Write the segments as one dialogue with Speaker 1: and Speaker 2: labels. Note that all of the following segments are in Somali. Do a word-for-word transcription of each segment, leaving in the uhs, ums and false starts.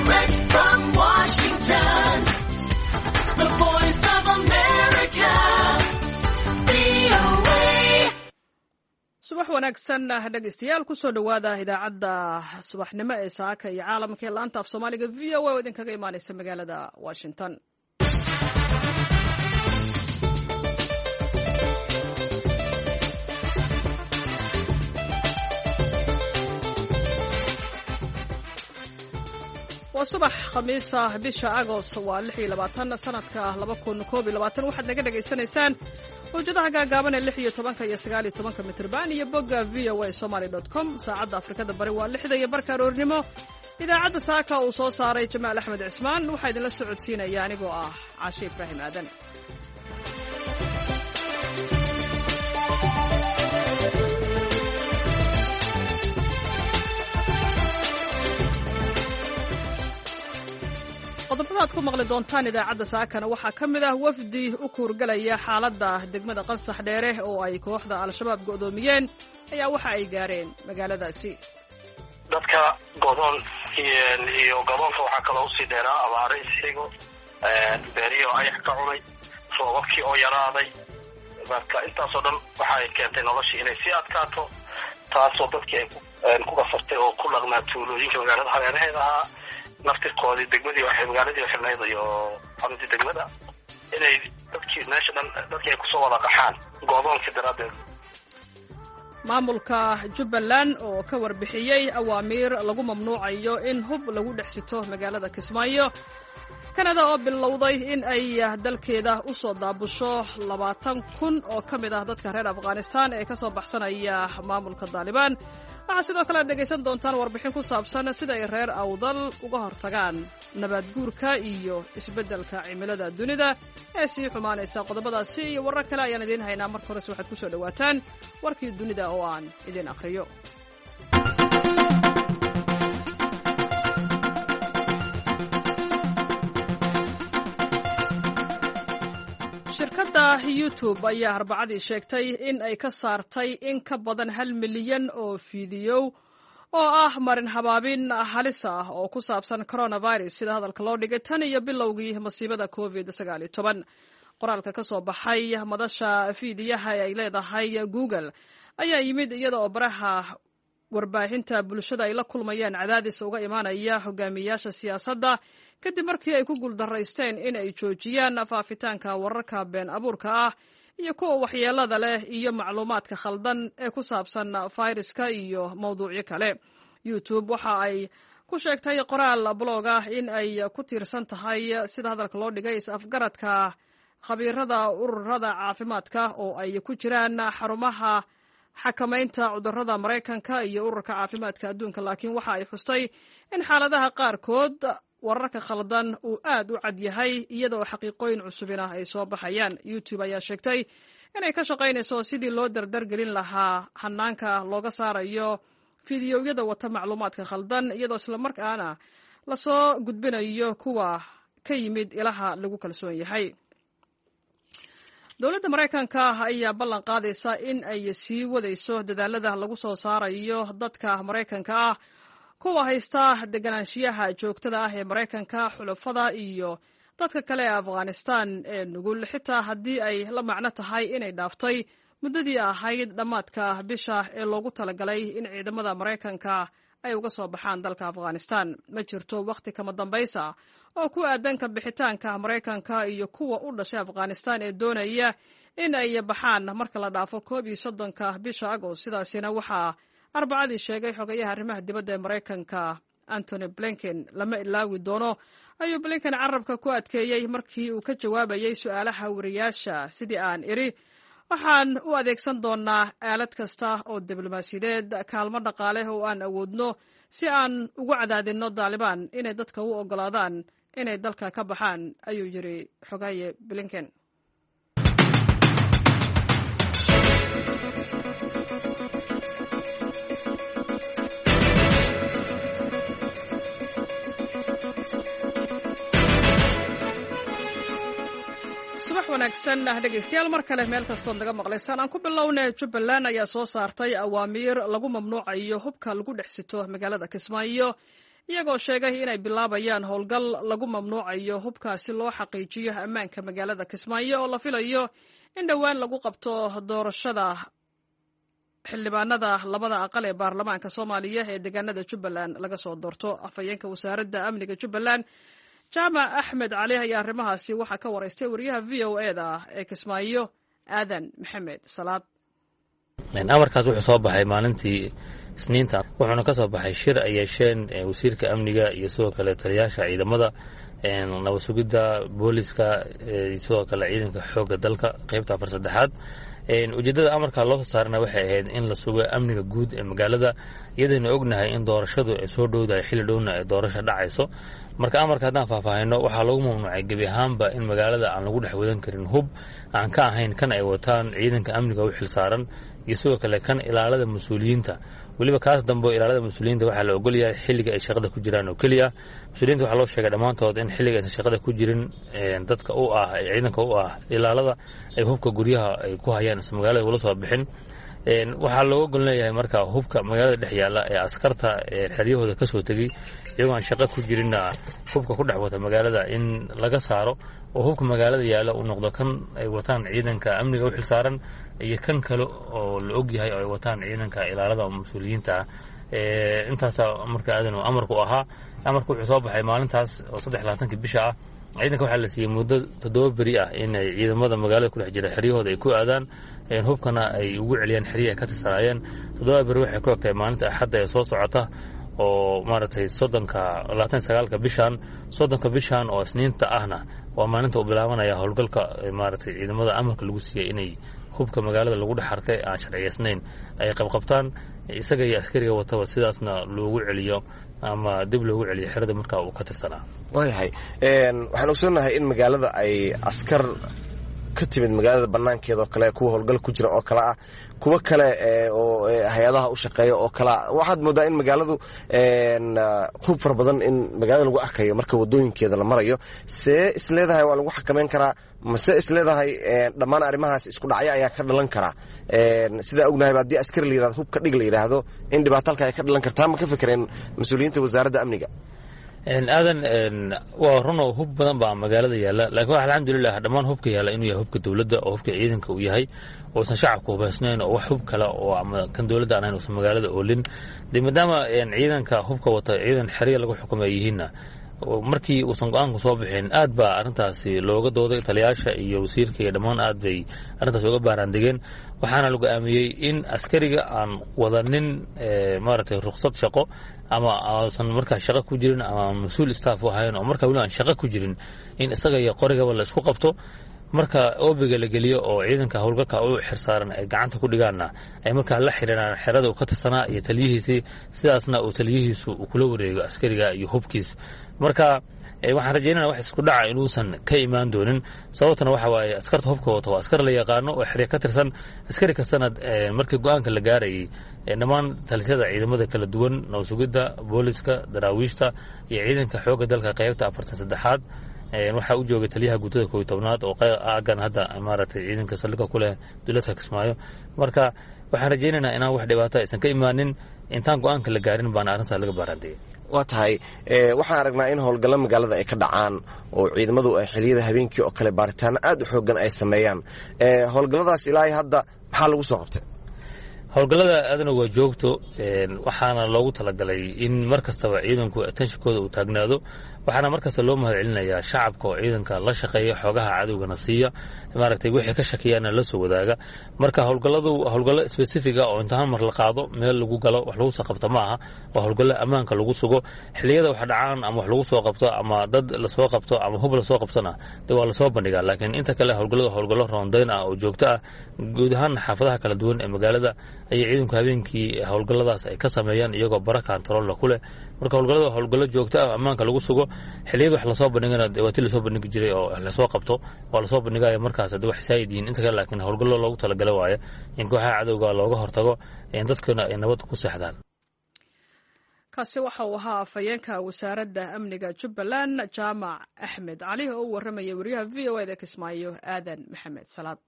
Speaker 1: Direct from Washington, the voice of America, V O A.
Speaker 2: Subax wanaagsan, dhegeystayaal. Kusoo dhowaada idaacadda subaxnimo ee Saaka iyo Caalamka ee laanta af Soomaaliga V O A oo idinkaga imaaneysa magaalada Washington. Waa subax Khamiisa, bisha Agost waa lix iyo labaatan, sanadka laba kun koob iyo labaatan. Waxaad naga dhegaysanaysaan mawjadaha gaagaaban ee lix iyo tobanka iyo sagaal iyo tobanka mitrban iyo bogga V O A Somaly dot com. Saacadda Afrikada Bari waa lixda iyo barka aroornimo. Idaacadda saaka uu soo saaray Jamaal Axmed Cismaan waxaa idinla socodsiinaya anigoo ah Caashe Ibraahim Aadan. Qodobada aad ku maqli doontaan idaacadda saakana waxaa ka mid ah wafdi u kuurgalaya xaaladda degmada Qansax Dheere oo ay kooxda Al-Shabaab go'doomiyeen ayaa waxa ay gaareen magaaladaasi.
Speaker 3: Dadka godoon iyo godoonka waxaa kaloo usii dheeraa abaaro isxigo, beerihii oo ayax ka cunay, roobabkii oo yaraaday. Marka intaasoo dhan waxa ay keentay noloshii inay sii adkaato, taasoo dadkii ay ku qasabtay oo ku dhaqnaa tuulooyinka magaalada hareeraheeda ahaa naftirkoodii degmadii waxay magaaladii xirnayd iyo xaruntii degmada inay dadkii meesha dhan dadkii ay kusoo wada qaxaan godoonka daraaddeed.
Speaker 2: Maamulka Jubbaland oo ka warbixiyey awaamiir lagu mamnuucayo in hub lagu dhex sito magaalada Kismaayo. Kanada oo bilowday in ay dalkeeda u soo daabusho labaatan kun oo ka mid ah dadka reer Afghanistan ee ka soo baxsanaya maamulka Daalibaan. Waxaa sidoo kale aad dhegaysan doontaan warbixin ku saabsan sida ay reer Awdal uga hortagaan nabaad guurka iyo isbeddelka cimilada dunida ee sii xumaanaysa. Qodobadaasi iyo warar kale ayaan idiin haynaa. Marka horese waxaad ku soo dhowaataan warkii dunida oo aan idiin akhriyo. Shirkadda YouTube ayaa Arbacadii sheegtay in ay ka saartay in ka badan hal milyan oo fiidiyow oo ah marin habaabin halis ah oo ku saabsan coronavirus, sida hadalka loo dhigay, tan iyo bilowgii masiibada COVID sagaal iyo toban. Qoraalka ka soo baxay madasha fiidiyaha ee ay leedahay Google ayaa yimid iyada oo baraha warbaahinta bulshada ay la kulmayaan cadaadis uga imaanaya hogaamiyayaasha siyaasadda, kadib markii ay ku guuldaraysteen in ay joojiyaan faafitaanka wararka been abuurka ah iyo kuwa waxyeelada leh iyo macluumaadka khaldan ee ku saabsan fayraska iyo mawduucyo kale. YouTube waxa ay ku sheegtay qoraal blog ah in ay ku tiirsan tahay, sida hadalka loo dhigay, is-afgaradka khabiirada ururada caafimaadka oo ay ku jiraan xarumaha xakamaynta cudurrada Maraykanka iyo Ururka Caafimaadka Adduunka. Laakiin waxa ay xustay in xaaladaha qaarkood wararka khaldan uu aad u cad yahay, iyada oo xaqiiqooyin cusubina ay soo baxayaan. YouTube ayaa sheegtay inay ka shaqaynayso sidii loo dardargelin lahaa hanaanka looga saarayo fiidiyowyada wata macluumaadka khaldan, iyadoo islamarkaana lasoo gudbinayo kuwa ka yimid ilaha lagu kalsoon yahay. Dowladda Maraykanka ayaa ballan qaadaysa in ay sii wadayso dadaalada lagu soo saarayo dadka Maraykanka ah, kuwa haysta deganaanshiyaha joogtada ah ee Maraykanka, xulafada iyo dadka kale ee Afghanistan ee nugul, xitaa haddii ay la macno tahay inay dhaaftay muddadii ahayd dhammaadka bisha ee loogu talagalay in ciidamada Maraykanka ay uga soo baxaan dalka Afghanistan. Ma jirto wakhti kama dambaysa oo ku aadan ka bixitaanka Maraykanka iyo kuwa u dhashay Afghanistan ee doonaya in ay baxaan marka la dhaafo koob iyo soddonka bisha Agost. Sidaasina waxaa Arbacadii sheegay xogayaha arrimaha dibadda ee Maraykanka, Antony Blinken. "Lama ilaawi doono," ayuu Blinken carabka ku adkeeyey markii uu ka jawaabayey su-aalaha wariyaasha. "Sidii aan idhi, waxaan u adeegsan doonaa aalad kasta oo diblomaasiyadeed, kaalmo dhaqaale oo aan awoodno, si aan ugu cadaadinno Daalibaan inay dadka u oggolaadaan inay dalka ka baxaan," ayuu yidhi xogaye Blinken. Subax wanaagsan ah, dhegaystayaal, mar kale meel kastood naga maqlaysaan. Aan ku bilownay, Jubbaland ayaa soo saartay awaamiir lagu mamnuucayo hubka lagu dhex sito magaalada Kismaayo iyagoo sheegay inay bilaabayaan howlgal lagu mamnuucayo hubka si loo xaqiijiyo ammaanka magaalada Kismaayo oo la filayo in dhowaan lagu qabto doorashada xildhibaanada labada aqal ee baarlamaanka Soomaaliya ee deegaanada Jubbaland laga soo doorto. Afhayeenka wasaaradda amniga Jubbaland, Jaamac Axmed Cali, ayaa arrimahaasi waxaa ka waraystay wariyaha V O E da ee Kismaayo, Aadan Maxamed Salaad.
Speaker 4: Amarkaas wuxuu soo baxay maalintii Isniinta, wuxuuna ka soo baxay shir ay yeesheen wasiirka amniga iyo sidoo kale taliyaasha ciidamada nabad sugidda, booliska iyo sidoo kale ciidanka xoogga dalka qeybta afar saddexaad. Ujeeddada amarka loo soo saarana waxay ahayd in la sugo amniga guud ee magaalada, iyadaynu ognahay in doorashadu ay soo dhowdahay, xilli dhowna ay doorasho dhacayso. Marka amarka haddaan faahfaahino, waxaa lagu mamnuucay gebi ahaanba in magaalada aan lagu dhex wadan karin hub aan ka ahayn kan ay wataan ciidanka amniga u xilsaaran iyo sidoo kale kan ilaalada mas-uuliyiinta. Weliba kaas dambe ilaalada mas-uuliyiinta waxaa la ogolyahay xilliga ay shaqada ku jiraan oo keliya. Mas-uuliyiinta waxaa loo sheegay dhammaantood in xilliga aysan shaqada ku jirin dadka u ah ciidanka u ah ilaalada ay hubka guryaha ay ku hayaan isan magaalada ula soo bixin. Waxaa looga gol leeyahay marka hubka magaalada dhex yaalla ee askarta xeryahooda ka soo tegey iyagoo aan shaqo ku jirinna hubka ku dhex wata magaalada in laga saaro, oo hubka magaalada yaalla uu noqdo kan ay wataan ciidanka amniga u xilsaaran iyo kan kale oo la og yahay oo ay wataan ciidanka ilaalada oo mas-uuliyiinta ah. Intaasaa marka aadan amarku ahaa. Amarku wuxuu soo baxay maalintaas oo saddex labaatanka bisha ah. Ciidanka waxaa la siiyey muddo toddoba beri ah inay ciidamada magaalada ku dhex jira xeryahooda ay ku aadaan, hubkana ay ugu celiyaan xeryihi ay ka tirsanaayeen. Toddoba beri waxay ku egtahay maalinta Axadda ee soo socota oo maaragtay soddonka, labaatan sagaalka bishan. Soddonka bishan oo Isniinta ahna waa maalinta uu bilaabanaya howlgalka maaragtay ciidamada amarka lagu siiyey inay hubka magaalada lagu dhex arkay aan sharciyeysnayn ay qabqabtaan, isaga iyo askariga wataba, sidaasna loogu celiyo ama dib loogu celiyo xerada markaa uu ka tirsanaa.
Speaker 5: Waayahay, waxaan ogsoonnahay in magaalada ay askar ka timid magaalada banaankeeda oo kale, kuwa howlgal ku jira oo kale ah, kuwo kale oo hay-adaha u shaqeeya oo kale ah. Waxaad moodaa in magaaladu hub fara badan in magaalada lagu arkayo marka wadooyinkeeda la marayo. See isleedahay waa lagu xakameyn karaa, mase isleedahay dhammaan arrimahaas isku dhacyo ayaa ka dhalan karaa? Sidaa ognahayba haddii askari la yirahdo hubka dhig la yidhaahdo in dhibaato halka ay ka dhalan kartaa, ma ka fikireen mas-uuliyiinta wasaaradda amniga?
Speaker 4: Aadan, waa runoo hub badan baa magaalada yaalla, laakiin waxa alxamdulilah dhammaan hubka yaalla inuu yahay hubka dowladda oo hubka ciidanka uu yahay, uusan shacabka hubaysnayn oo wax hub kale oo ama kan dowladda aan ahayn uusan magaalada oolin. Dee maadaama ciidanka hubka wata ciidan xerya lagu xukumay yihiinna, markii uusan go-aanku soo bixin aad baa arrintaasi looga dooday. Taliyaasha iyo wasiirka iyo dhammaan aad bay arrintaas uga baaraandegeen, waxaana la go-aamiyey in askariga aan wadanin maaragtay ruqsad shaqo ama uusan markaa shaqo ku jirin ama mas-uul staff u ahayn oo markaa weli aan shaqo ku jirin in isaga iyo qorigaba la isku qabto, marka oobiga la geliyo oo ciidanka howlgalka u xirsaaran ay gacanta ku dhigaanna ay markaa la xiriiraan xerada uu ka tirsanaa iyo taliyihiisii, sidaasna uu taliyihiisu uu kula wareego askariga iyo hubkiis. Marka waxaan rajaynana wax isku dhaca inuusan ka imaan doonin, sababtana waxa waaye askarta hubka wata waa askar la yaqaano oo xerya ka tirsan. Askari kastana markii go-aanka la gaarayay dhammaan talisyada ciidamada kala duwan, nabad sugidda, booliska, daraawiishta iyo ciidanka xoogga dalka qeybta afartan saddexaad, waxaa u joogay taliyaha guutada kooiyo tobnaad oo aagan hadda maaragtay ciidanka saldhigga ku leh dowladka Kismaayo. Marka waxaan rajaynaynaa inaan wax dhibaato aysan ka imaanin. Intaan go-aanka la gaarin baana arrintaa laga baaraandegay.
Speaker 5: Waa tahay, waxaan aragnaa in howlgallo magaalada ay ka dhacaan oo ciidamadu ay xiliyada habeenkii oo kale baaritaano aad u xooggan ay sameeyaan. Howlgalladaas ilaa hadda maxaa lagu soo qabtay?
Speaker 4: Howlgallada aadana waa joogto, waxaana loogu talagalay in mar kastaba ciidanku atenshinkooda uu taagnaado. Waxaana mar kasta loo mahad celinayaa shacabka oo ciidanka la shaqeeya, xoogaha cadowgana siiya, maaragtay wixii ka shakiyaana la soo wadaaga. Marka howlgalladu howlgallo specifiga oo inta hal mar la qaado meel lagu galo wax lagu soo qabto ma aha, waa howlgallo ammaanka lagu sugo. Xilliyada wax dhacaan ama wax lagu soo qabto ama dad lasoo qabto ama hub lasoo qabtona dee waa lasoo bandhigaa, laakiin inta kale howlgalladu howlgallo roondayn ah oo joogto ah. Guud ahaan xaafadaha kala duwan ee magaalada ayay ciidanku habeenkii howlgalladaas ay ka sameeyaan iyagoo bara kantaroolna ku leh. Marka howlgallada waa howlgallo joogto ah ammaanka lagu sugo. Xilliyada wax lasoo bandhigana waa ti lasoo bandhigi jiray oo wax lasoo qabto waa lasoo bandhigaya markaas haddii wax saayid yihiin inta kale, laakiin howlgallo loogu talagala waaye in kooxaha cadowga looga hortago in dadkuna ay nabad ku seexdaan.
Speaker 2: Kaasi waxa uu ahaa afhayeenka wasaaradda amniga Jubbaland, Jaamac Axmed Cali, oo u warramayay wariyaha V O E da Kismaayo, Aadan Maxamed Salaad.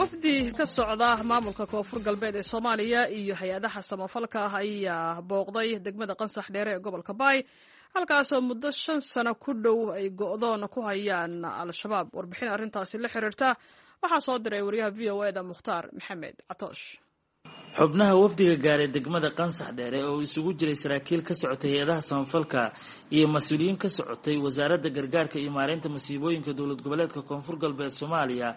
Speaker 2: Wafdi ka socda maamulka Koonfur Galbeed ee Soomaaliya iyo hay-adaha samafalka ah ayaa booqday degmada Qansax Dheere ee gobolka Baay, halkaasoo muddo shan sano ku dhow ay go'doon ku hayaan Al-Shabaab. Warbixin arrintaasi la xiriirta waxaa soo diray wariyaha V O E da Mukhtaar Maxamed Catoosh.
Speaker 6: Xubnaha wafdiga gaaray degmada Qansax Dheere oo isugu jiray saraakiil ka socotay hay-adaha samafalka iyo mas-uuliyiin ka socotay Wasaaradda Gargaarka iyo Maareynta Masiibooyinka Dowlad Goboleedka Koonfur Galbeed Soomaaliya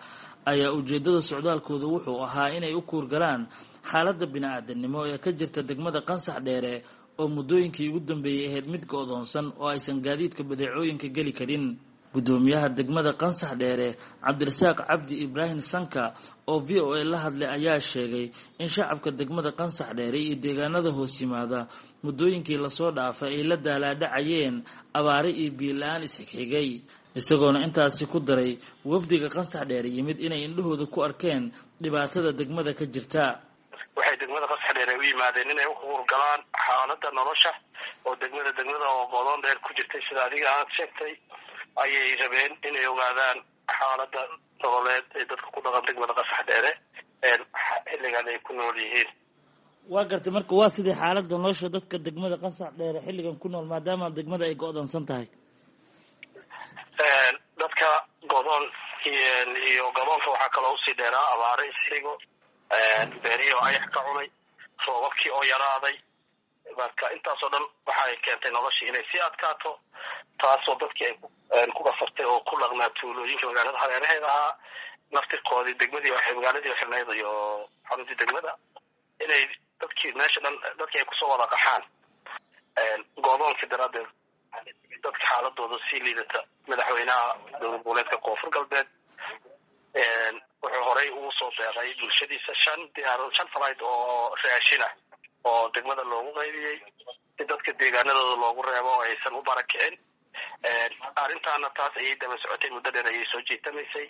Speaker 6: ayaa ujeedada socdaalkooda wuxuu ahaa inay u kuurgalaan xaaladda bini-aadanimo ee ka jirta degmada Qansax Dheere oo muddooyinkii ugu dambeeyey ahayd mid go-doonsan oo aysan gaadiidka badeecooyinka geli karin. Guddoomiyaha degmada Qansax Dheere, Cabdirasaaq Cabdi Ibraahim Sanka, oo V O A la hadlay ayaa sheegay in shacabka degmada Qansax Dheere iyo deegaanada hoos yimaada muddooyinkii lasoo dhaafay ay la daalaadhacayeen abaare iyo biyo-la-aan isxigxigay, isagoona intaasi ku daray wafdiga Qansax Dheere yimid inay indhahooda ku arkeen dhibaatada degmada ka jirta.
Speaker 3: Waxay degmada Qansax Dheere u yimaadeen inay u hurgalaan xaaladda nolosha oo degmada degmada oo godoon dheer ku jirtay, sida adiga aad sheegtay, ayay rabeen inay ogaadaan xaaladda nololeed ee dadka ku dhaqan degmada Qasax Dheere xilligan ay ku nool yihiin.
Speaker 6: Waa gartay. Marka waa sidii xaaladda nolosha dadka degmada Qansax Dheere xilligan ku nool, maadaama degmada ay go-doonsan tahay?
Speaker 3: Dadka godoon iyo godoonka waxaa kaloo usii dheeraa abaare isxigo, beerihii oo ayax ka cunay, roobabkii oo yaraaday. Marka intaasoo dhan waxay keentay noloshii inay sii adkaato, taasoo dadkii ay ku qasabtay oo ku dhaqnaa tuulooyinka magaalada hareeraheeda ahaa naftirkoodii degmadii waxay magaaladii xirnayd iyo xaruntii degmada inay dadkii meesha dhan dadkii ay kusoo wada qaxaan go'doonkii daraaddeed. Dadka xaaladooda sii liidata, madaxweynaha Dowlad Goboleedka Koonfur Galbeed wuxuu horey ugu soo deeqay bulshadiisa shan diyaar shan flight oo raashin ah oo degmada loogu qaybiyey si dadka deegaanadooda loogu reebo oo aysan u barakicin. Arrintaana taas ayay daba socotay, muddo dheer ayay soo jiitamaysay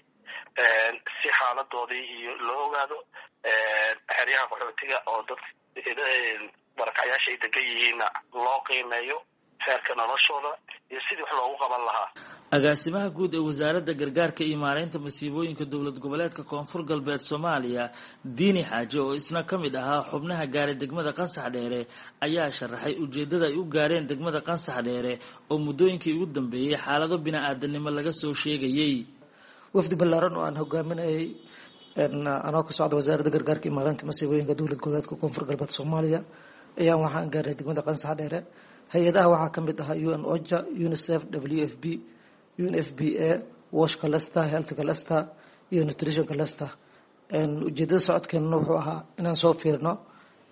Speaker 3: si xaaladoodii iyo loo ogaado. Xeryaha qaxootiga oo dad barakacyaasha ay degan yihiinna loo qiimeeyo heerka noloshooda iyo sidii wax loogu qaban lahaa.
Speaker 6: Agaasimaha guud ee Wasaaradda Gargaarka iyo Maareynta Masiibooyinka Dowlad Goboleedka Koonfur Galbeed Soomaaliya, Diini Xaaji, oo isna ka mid ahaa xubnaha gaaray degmada Qansax Dheere ayaa sharaxay ujeeddada ay u gaareen degmada Qansax Dheere oo muddooyinkii ugu dambeeyey xaalado bini-aadanimo laga soo sheegayey.
Speaker 7: Wafdi ballaaran oo aan hogaaminayay anoo ka socda Wasaaradda Gargaarka iyo Maareynta Masiibooyinka Dowlad Goboleedka Koonfur Galbeed Soomaaliya ayaan waxaan gaarnay degmada Qansax Dheere. Hay-adaha waxaa ka mid ahaa U N OCHA, UNICEF, W F P, U N F P A, WASH Cluster, Health Cluster iyo Nutrition Cluster. Ujeedada socodkeenna wuxuu ahaa inaan soo fiirno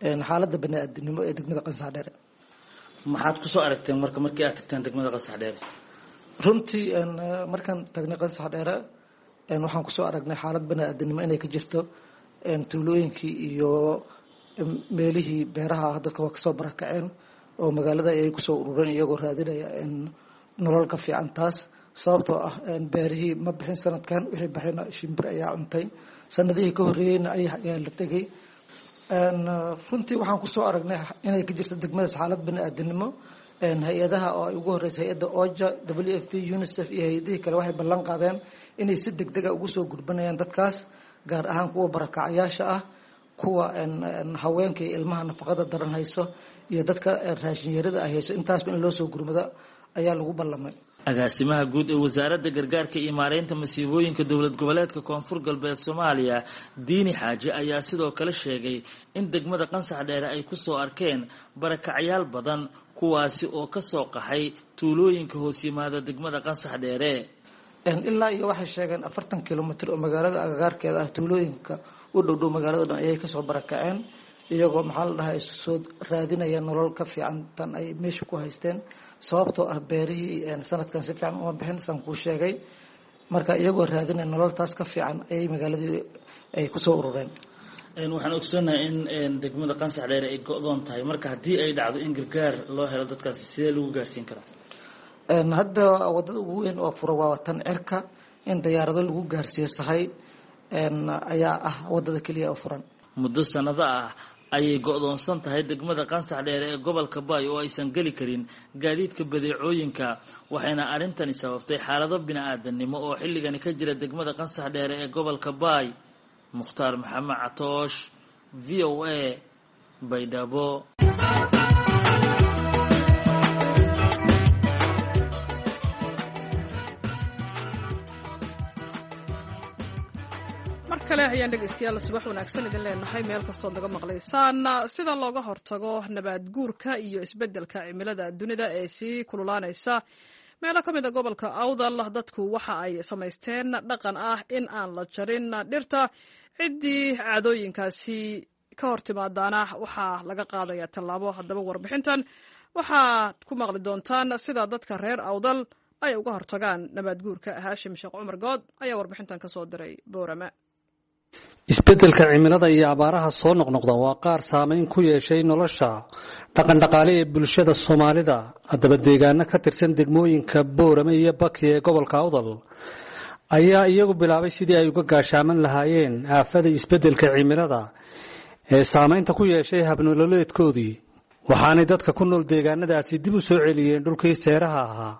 Speaker 7: xaaladda bani-aadinimo ee degmada Qansax Dheere.
Speaker 6: Maxaad kusoo aragteen marka markii aad tagteen degmada Qansax Dheere?
Speaker 7: Runtii markaan tagnay Qansax Dheere waxaan kusoo aragnay xaalad bani-aadinimo inay ka jirto. Tuulooyinkii iyo meelihii beeraha ah dadka waa kasoo barakaceen oo magaalada ayay kusoo urureen iyagoo raadinaya nolol ka fiican taas, sababtoo ah beerihii ma bixin sanadkan, wixii baxayna shimbir ayaa cuntay, sanadihii ka horreeyeyna ayax ayaa la tegay. Runtii waxaan kusoo aragnay inay ka jirto degmadaas xaalad bani-aadinimo. Hay-adaha oo ay ugu horreysay hay-adda OCHA, W F P, UNICEF iyo hay-adihii kale waxay ballan qaadeen inay si deg dega ugu soo gurbanayaan dadkaas, gaar ahaan kuwa barakacyaasha ah, kuwa haweenka iyo ilmaha nafaqada daran hayso iyo dadka raashinyarada ay hayso. Intaasba in loo soo gurmado ayaa lagu ballamay.
Speaker 6: Agaasimaha guud ee Wasaaradda Gargaarka iyo Maareynta Masiibooyinka Dowlad Goboleedka Koonfur Galbeed Soomaaliya, Diini Xaaji, ayaa sidoo kale sheegay in degmada Qansax Dheere ay kusoo arkeen barakacyaal badan, kuwaasi oo kasoo qaxay tuulooyinka hoos yimaada degmada Qansax Dheere.
Speaker 7: Ilaa iyo waxay sheegeen afartan kilomitr oo magaalada agagaarkeeda ah, tuulooyinka u dhowdhow magaalada dhan ayay kasoo barakaceen, iyagoo maxaa la dhahay soo raadinaya nolol ka fiican tan ay meesha ku haysteen, sababtoo ah beerihii sanadkan si fiican uma bixin, saan kuu sheegay. Marka iyagoo raadinaya nolol taas ka fiican ayay magaaladii ay kusoo urureen.
Speaker 6: Waxaan ogsoonahay in degmada Qansax Dheere ay go-doon tahay. Marka haddii ay dhacdo in gargaar loo helo dadkaasi, sidee lagu gaarsiin karaa?
Speaker 7: Hadda wadada ugu weyn oo fura waa tan cirka. In diyaarado lagu gaarsiiyo sahay ayaa ah wadada keliya oo furan.
Speaker 6: Muddo sanado ah ayay go-doonsan tahay degmada Qansax Dheere ee gobolka Baay oo aysan geli karin gaadiidka badeecooyinka, waxayna arrintani sababtay xaalado bini-aadanimo oo xilligani ka jira degmada Qansax Dheere ee gobolka Baay. Mukhtaar Maxamed Catoosh, V O A, Baydhabo.
Speaker 2: Mar kale ayaan dhegeystayaal subax wanaagsan idin leenahay meel kastood naga maqlaysaan. Sida looga hortago nabaad guurka iyo isbeddelka cimilada dunida ee sii kululaanaysa meelo ka mid a gobolka Awdal, dadku waxa ay samaysteen dhaqan ah in aan la jarin dhirta. Ciddii caadooyinkaasi ka hor timaadaana waxaa laga qaadaya tallaabo. Haddaba warbixintan waxaad ku maqli doontaan sida dadka reer Awdal ay uga hortagaan nabaad guurka. Haashim Sheekh Cumar Good ayaa warbixintan ka soo diray Boorama.
Speaker 8: Isbeddelka cimilada iyo abaaraha soo noqnoqda waa qaar saameyn ku yeeshay nolosha dhaqandhaqaale ee bulshada Soomaalida. Haddaba deegaano ka tirsan degmooyinka Boorame iyo Baki ee gobolka Awdal ayaa iyagu bilaabay sidii ay uga gaashaaman lahaayeen aafada isbeddelka cimilada ee saameynta ku yeeshay habnololeedkoodii. Waxaanay dadka ku nool deegaanadaasi dib u soo celiyeen dhulkii seeraha ahaa,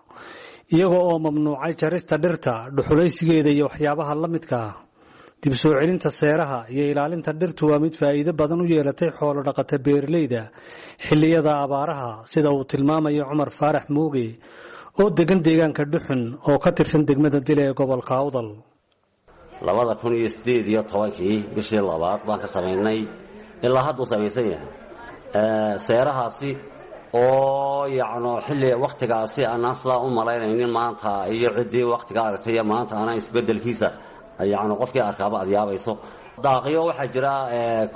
Speaker 8: iyaga oo mamnuucay jarista dhirta, dhuxulaysigeeda iyo waxyaabaha la midka ah. Dib soo celinta seeraha iyo ilaalinta dhirtu waa mid faa'iido badan u yeelatay xoolo dhaqata beeralayda xilliyada abaaraha, sida uu tilmaamayo Cumar Faarax Mooge oo degan deegaanka Dhuxun oo ka tirsan degmada Dile ee gobolka Awdal.
Speaker 9: Labada kun iyo sideed iyo tobankii bishii labaad baan ka samaynay, ilaa hadduu samaysan yahay seerahaasi oo yacno xilli wakhtigaasi aanaan sidaa u malaynaynin maanta iyo ciddii wakhtiga aragtay iyo maanta aanaan isbeddelkiisa yacni qofkii arkaaba aad yaabayso. Daaqyo waxaa jira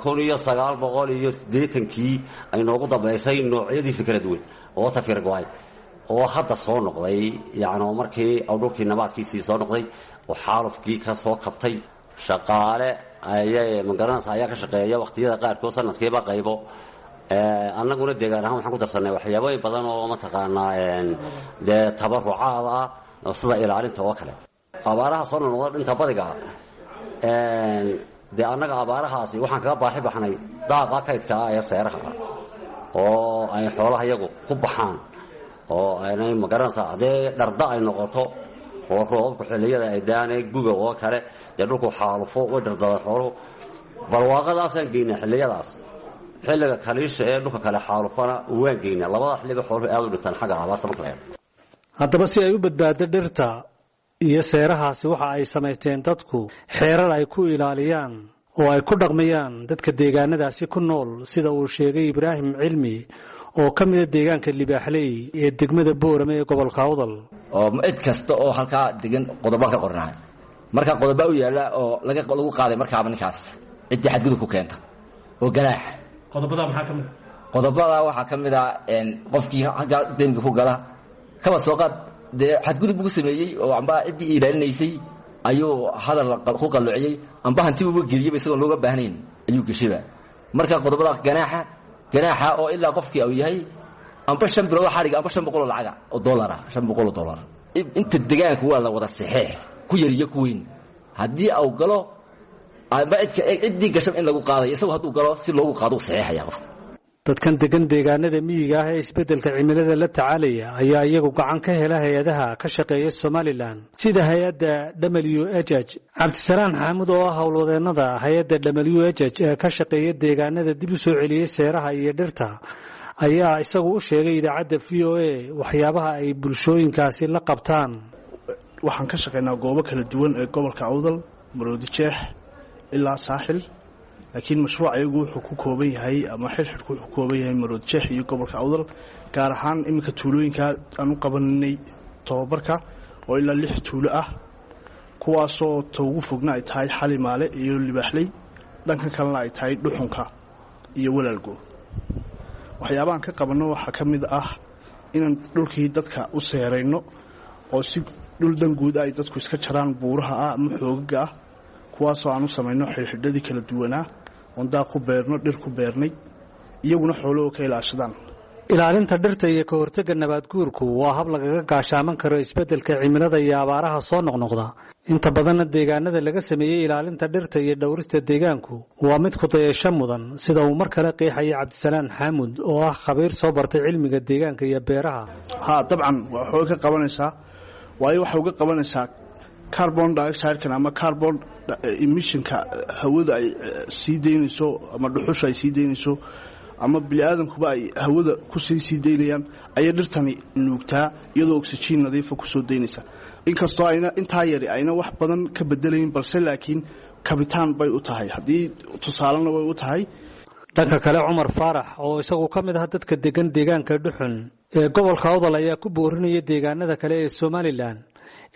Speaker 9: kun iyo sagaal boqol iyo siddeetankii ay noogu dambaysay noocyadiisa kala duwan oo tafir go-ay oo hadda soo noqday, yacni markii dhulkii nabaadkiisii soo noqday oo xaalufkii ka soo kabtay. Shaqaale ayay magaranaysa ayaa ka shaqeeya waqtiyada qaarkood sanadkiiba qaybo. Annaguna deegaan ahaan waxaan ku darsanay waxyaabooyin badan oo mataqaanaa dee tabarucaad ah sida ilaalinta oo kale. Abaaraha soo noqnoqda dhinta badiga dee annaga abaarahaasi waxaan kaga baaxi baxnay daaqa kaydka ah ee seeraha ah oo ay xoolaha iyagu ku baxaan oo aynay magaranaysaa haddee dharda ay noqoto oo roobabku xilliyada ay daanay guga oo kale dee dhulku xaalufo way dhardadaan xooluhu. Barwaaqadaasaan geynaa xilliyadaas, xilliga kaliisha ee dhulka kale xaalufana waan geynaa. Labada xilliba xooluhu aad u dhintaan xagga abaarta marka la eego.
Speaker 8: Haddaba si ay u badbaado dhirta iyo seerahaasi, waxa ay samaysteen dadku xeerar ay ku ilaaliyaan oo ay ku dhaqmayaan dadka deegaanadaasi ku nool, sida uu sheegay Ibraahim Cilmi oo ka mida deegaanka Libaaxley ee degmada Boorame ee gobolka Awdal.
Speaker 10: Oo cid kasta oo halkaa degan qodobaan ka qornahay, marka qodobaa u yaalla oo laga lagu qaaday markaaba ninkaas ciddii xadgudub ku keenta oo ganaax.
Speaker 8: Qodobada maxaa ka mid?
Speaker 10: Qodobada waxaa ka mid ah qofkii halkaa dembi ku gala, kaba soo qaad dee xadgudub buu sameeyey oo amba ciddii ilaalinaysay ayuu hadal ku qalloociyey amba hantibuuba geliyeyba isagoon looga baahnayn ayuu geshayba. Marka qodobada ganaaxa ganaaxa oo ilaa qofkii uu yahay amba shan bilood xadhiga amba shan boqol oo lacaga oo dollar ah, shan boqol oo dollar. Inta deegaanka waa la wada saxeex, ku yar iyo ku weyn, haddii uu galo amba cidka ciddii gashan in lagu qaadayo, isagu hadduu galo si loogu qaado u saxeexaya qofka.
Speaker 8: Dadkan degan deegaanada miyiga ah ee isbeddelka cimilada la tacaalaya ayaa iyagu gacan ka hela hay-adaha ka shaqeeya Somalilan sida hay-adda W H H. Cabdisalaan Xaamud oo ah howlwadeennada hay-adda W H H ee ka shaqeeya deegaanada dib u soo celiyey seeraha iyo dhirta ayaa isagu u sheegay idaacadda V O A waxyaabaha ay bulshooyinkaasi la qabtaan.
Speaker 11: Waxaan ka shaqaynaa goobo kala duwan ee gobolka Awdal, Maroodi Jeex ilaa Saaxil, laakiin mashruuc ayagu wuxuu ku kooban yahay ama xirxidhku wuxuu ku kooban yahay Maroodi Jeex iyo gobolka Awdal, gaar ahaan iminka tuulooyinka aan u qabanay tobabarka oo ilaa lix tuulo ah, kuwaasoo ta ugu fogna ay tahay Xalimaale iyo Libaaxley, dhanka kalena ay tahay Dhuxunka iyo Walaalgo. Waxyaabahan ka qabanno waxaa ka mid ah inaan dhulkii dadka u seerayno oo si dhul danguud ay dadku iska jaraan buuraha ah ama xoogaga ah, kuwaasoo aan u samayno xidhxidhadii kala duwanaa oon daaq ku beerno, dhir ku beernay, iyaguna xoolahoo ka ilaashadaan.
Speaker 8: Ilaalinta dhirta iyo ka hortagga nabaad guurku waa hab lagaga gaashaaman karo isbeddelka cimilada iyo abaaraha soo noqnoqda. Inta badanna deegaanada laga sameeyey ilaalinta dhirta iyo dhowrista deegaanku waa mid ku dayasho mudan, sida uu mar kale qeexaya Cabdisalaan Xaamud oo ah khabiir soo bartay cilmiga deegaanka iyo beeraha.
Speaker 11: Haa, dabcan waxay ka qabanaysaa, waayo waxay uga qabanaysaa Carbon dioxide-kan ama carbon emissionka hawada ay sii daynayso ama dhuxusha ay sii daynayso ama bini'aadankuba ay hawada kusii sii daynayaan ayay dhirtani nuugtaa, iyadoo oxygen nadiifa kusoo daynaysa. Inkastoo ayna intaa yari ayna wax badan ka bedelayn, balse laakiin kabitaan bay u tahay, haddii tusaalena way u tahay.
Speaker 8: Dhanka kale, Cumar Faarax oo isagu ka mid ah dadka degan deegaanka Dhuxun ee gobolka Awdal ayaa ku boorinaya deegaanada kale ee Somalilan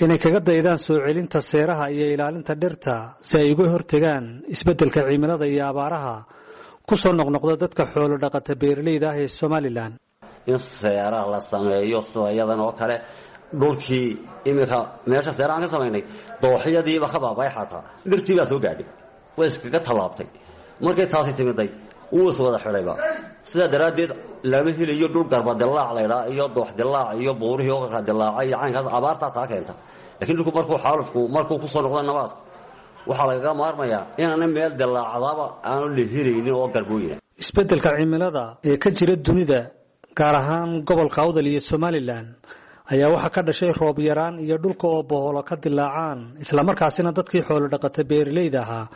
Speaker 8: inay kaga daydaan soo celinta seeraha iyo ilaalinta dhirta si ay uga hortegaan isbeddelka cimilada iyo abaaraha ku soo noqnoqda dadka xoolo dhaqata beeralayda ah ee Somalilan.
Speaker 9: In seeraha la sameeyo sida iyadan oo kale, dhulkii iminka meesha seerahaan ka samaynay dooxyadiiba ka baabay, xataa dhirtii baa soo gaadhay, way iskaga tallaabtay. Markay taasi timiday wuu is wada xidhayba. Sidaa daraaddeed lama helayo dhul garba dilaac laydhaa iyo doox dilaac iyo buurihii oo kala dilaacay iyo caynkaas. Abaartaa taa keenta, laakiin dhulku markuu xaalufku markuu ku soo noqdo nabaadku, waxaa lagaga maarmayaa inaana meel dilaacdaba aanu la helaynin oo garbooyina.
Speaker 8: Isbeddelka cimilada ee ka jira dunida, gaar ahaan gobolka Awdal iyo Somalilan, ayaa waxaa ka dhashay roob yaraan iyo dhulka oo boholo ka dilaacaan, islamarkaasina dadkii xoolo dhaqata beeralayda ahaa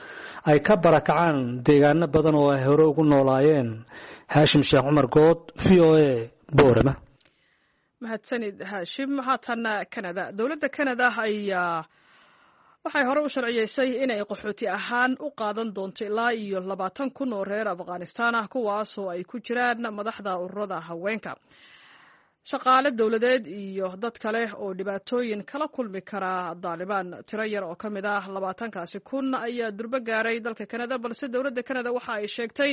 Speaker 8: ay ka barakacaan deegaano badan oo ay hore ugu noolaayeen. Haashim Sheekh Cumar Good, V O A, Boorama.
Speaker 2: Mahadsanid, Haashim. Haatan Canada. Dowladda Canada ayaa waxay hore u sharciyeysay inay qaxooti ahaan u qaadan doonto ilaa iyo labaatan kun oo reer Afghanistaan ah, kuwaasoo ay ku jiraan madaxda ururada haweenka, shaqaale dowladeed iyo dad kale oo dhibaatooyin kala kulmi kara Daalibaan. Tiro yar oo ka mid ah labaatankaasi kun ayaa durbo gaaray dalka Canada, balse dowladda Canada waxa ay sheegtay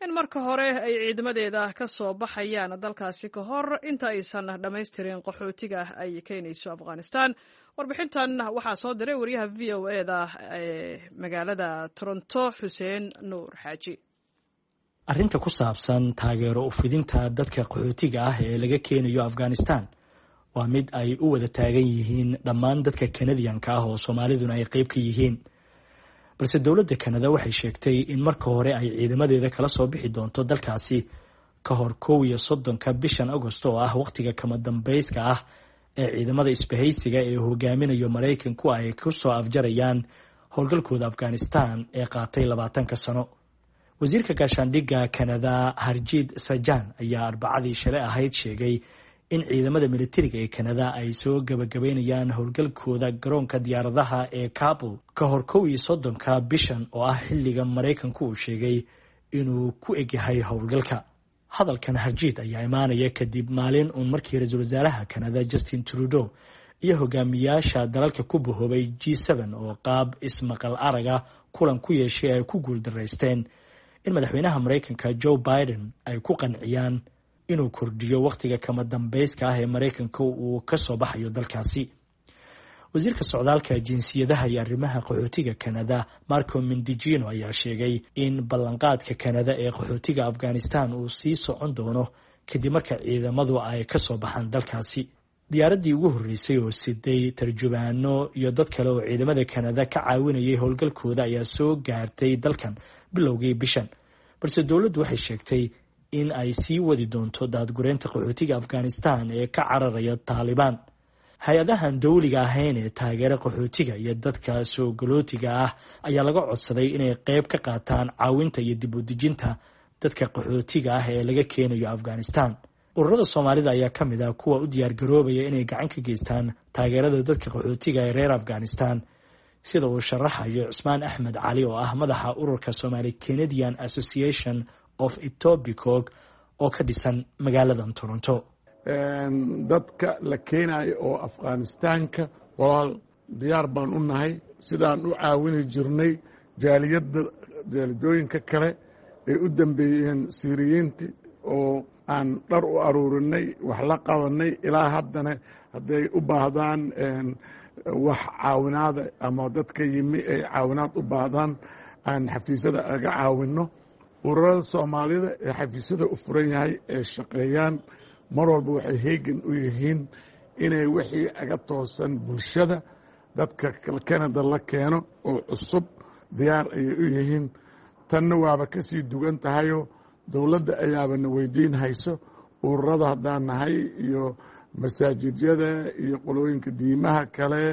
Speaker 2: in marka hore ay ciidamadeeda ka soo baxayaan dalkaasi ka hor inta aysan dhammaystirin qaxootiga ay keenayso Afghanistan. Warbixintan waxaa soo diray wariyaha V O A da ee magaalada Toronto, Xuseen Nuur Xaaji.
Speaker 12: Arrinta ku saabsan taageero ufidinta dadka qaxootiga ah ee laga keenayo Afghanistan waa mid ay u wada taagan yihiin dhammaan dadka Kanadiyanka ah oo Soomaaliduna ay qeyb ka yihiin. Balse dowladda Kanada waxay sheegtay in marka hore ay ciidamadeeda kala soo bixi doonto dalkaasi ka hor kow iyo soddonka bishan Agost, oo ah wakhtiga kama dambayska ah ee ciidamada isbahaysiga ee hogaaminayo Maraykanku ay ku soo afjarayaan howlgalkooda Afghanistan ee qaatay labaatanka sano. Wasiirka gaashaandhigga Kanada, Harjit Sajan, ayaa Arbacadii shalay ahayd sheegay in ciidamada militariga ee Kanada ay soo gabagabaynayaan howlgalkooda garoonka diyaaradaha ee Kabul ka hor kow iyo soddonka bishan, oo ah xilliga Maraykanku uu sheegay inuu ku egyahay howlgalka. Hadalkan Harjiid ayaa imaanaya kadib maalin uun markii ra-iisul wasaaraha Kanada, Justin Trudeau, iyo hogaamiyaasha dalalka ku bahoobay G seven oo qaab ismaqal araga kulan ku yeeshay ay ku guuldaraysteen in madaxweynaha Maraykanka, Joe Biden, ay ku qanciyaan inuu kordhiyo wakhtiga kama dambayska ah ee Maraykanka uu ka soo baxayo dalkaasi. Wasiirka socdaalka, jinsiyadaha iyo arrimaha qaxootiga Kanada, Marco Mendicino, ayaa sheegay in ballanqaadka Kanada ee qaxootiga Afghanistan uu sii socon doono kadib marka ciidamadu ay ka soo baxaan dalkaasi. Diyaaraddii ugu horreysay oo siday tarjubaano iyo dad kale oo ciidamada Kanada ka caawinayay howlgalkooda ayaa soo gaartay dalkan bilowgii bishan, balse dowladdu waxay sheegtay in ay sii wadi doonto daadgureynta qaxootiga Afghanistan ee ka cararaya Taalibaan. Hay-adahan dowliga ahayn ee taageera qaxootiga iyo dadka soo galootiga ah ayaa laga codsaday inay qeyb ka qaataan caawinta iyo dib u dejinta dadka qaxootiga ah ee laga keenayo Afghanistan. Ururada Soomaalida ayaa ka mid ah kuwa u diyaargaroobaya inay gacan ka geystaan taageerada dadka qaxootiga ee reer Afghanistan, sida uu sharaxayo Cusmaan Axmed Cali oo ah madaxa ururka Somali Canadian Association of Etobicoke oo ka dhisan magaalada Toronto.
Speaker 13: Dadka la keenayo oo Afghanistaanka, walaal, diyaar baan u nahay sidaan u caawini jirnay jaaliyadda jaalidooyinka kale ay u dambeeyeen Siiriyiinti oo aan dhar u aruurinay, wax la qabanay. Ilaa haddana hadday u baahdaan wax caawinaada ama dadka yimi ay caawinaad u baahdaan, aan xafiisyada aga caawinno. Ururada Soomaalida ee xafiisyada u furan yahay ee shaqeeyaan mar walba waxay heegan u yihiin inay wixii aga toosan bulshada dadka Canada la keeno oo cusub diyaar ayay u yihiin. Tanna waaba ka sii dugan tahayoo dowladda ayaaba na weydiin hayso ururada haddaan nahay iyo masaajidyada iyo qolooyinka diimaha kale.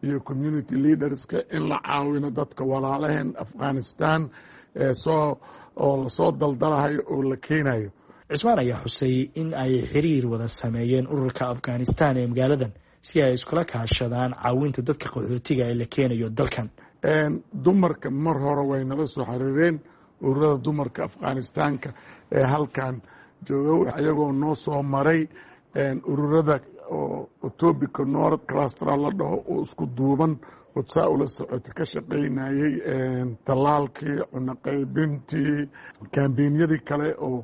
Speaker 13: iyo community leaderska in la caawino dadka walaalaheen Afghanistan ee soo oo lasoo daldalahayo oo la keenayo.
Speaker 12: Cismaan ayaa xusay in ay xiriir wada sameeyeen ururka Afghanistan ee magaaladan si ay iskula kaashadaan caawinta dadka qaxootiga ee la keenayo dalkan.
Speaker 13: Dumarka mar hore way nala soo xiriireen, ururada dumarka Afghanistaanka ee halkan jooga, ayagoo noo soo maray ururada oo Etobicoke North Cluster la dhaho oo isku duuban hodsaa ula socota ka shaqaynayey tallaalkii, cunno qaybintii, kambenyadii kale oo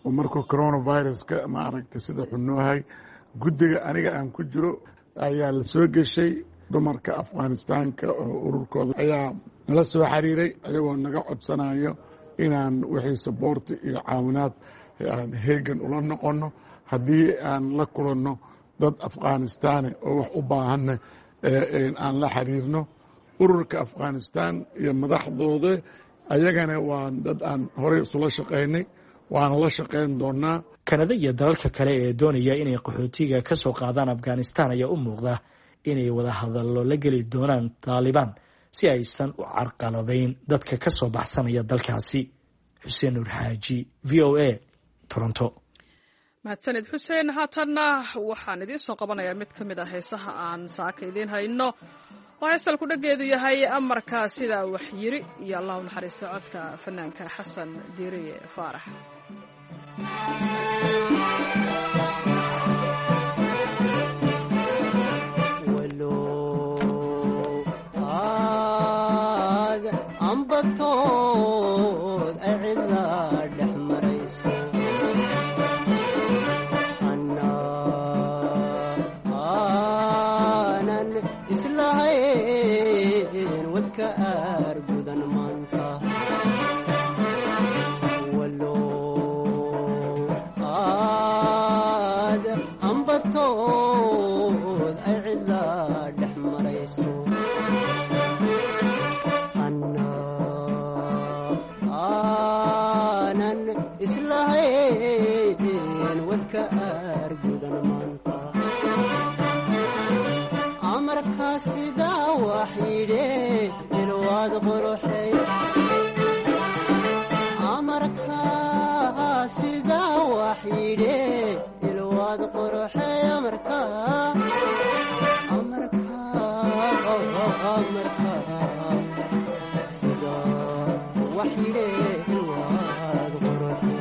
Speaker 13: oo markuu coronaviruska maaragtay sida xunoohay. Guddiga aniga aan ku jiro ayaa la soo geshay dumarka Afghanistaanka oo ururkooda ayaa nala soo xiriiray, ayagoo naga codsanayo inaan wixii support iyo caawinaad aan heegan ula noqono haddii aan la kulanno dad Afghanistaane oo wax u baahanna aan la xiriirno ururka Afghanistan iyo madaxdooda. Ayagana waa dad aan horey isula shaqaynay, waana la shaqayn doonaa.
Speaker 12: Kanada iyo dalalka kale ee doonaya inay qaxootiga ka soo qaadaan Afghanistan ayaa u muuqda inay wada hadallo la geli doonaan Taalibaan si aysan u carqaladayn dadka ka soo baxsanaya dalkaasi. Xuseen Nuur Xaaji, V O A, Toronto.
Speaker 2: Mahadsanid Xuseen. Haatanna waxaan idiin soo qabanayaa mid ka mid ah heesaha aan saaka idiin hayno oo heestal ku dhageedu yahay Amarka Sidaa Wax Yiri iyo Allahu naxariista codka fanaanka Xasan Diiriye Faarax.
Speaker 14: Ambatood ay cidla dhex marayso, aanan islahayn wadka aargudan maanta. Aad ambatood ay cidla dhex marayso, aanan islahayn wadka aargudan maanta. Amarkaa sidaa wax yidhe ilwaad quruxay, amarkaa sidaa wax yidhe ilwaad quruxay, amarkaa amarkaa amarkaa sidaa wax yidhe ilwaad quruxay,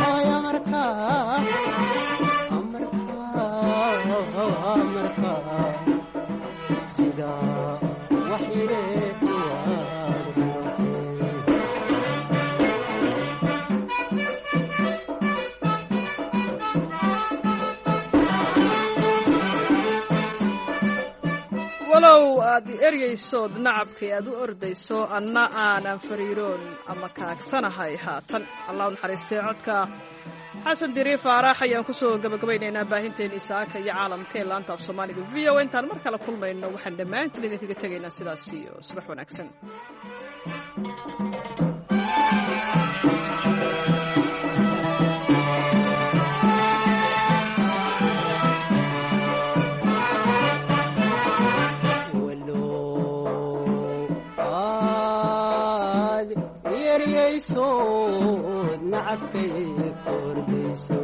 Speaker 14: ay amarkaa amarkaa amarkaa sidaa wax yidhe ilwaad quruxay.
Speaker 2: Walow aad i eryaysood nacabkay aad u ordayso, anna aanan fariiroon ama kaagsanahay haatan. Allah u naxariistay codka Xasan Diri Faarax ayaan kusoo gabagabaynaynaa baahinteennii saaka iyo caalamka ee laanta af Soomaaliga V O. Intaan mar kale kulmayno waxaan dhammaantiin idinkaga tegaynaa sidaas iyo subax wanaagsan.
Speaker 14: Aad yeryaysood nacabkay kordayso.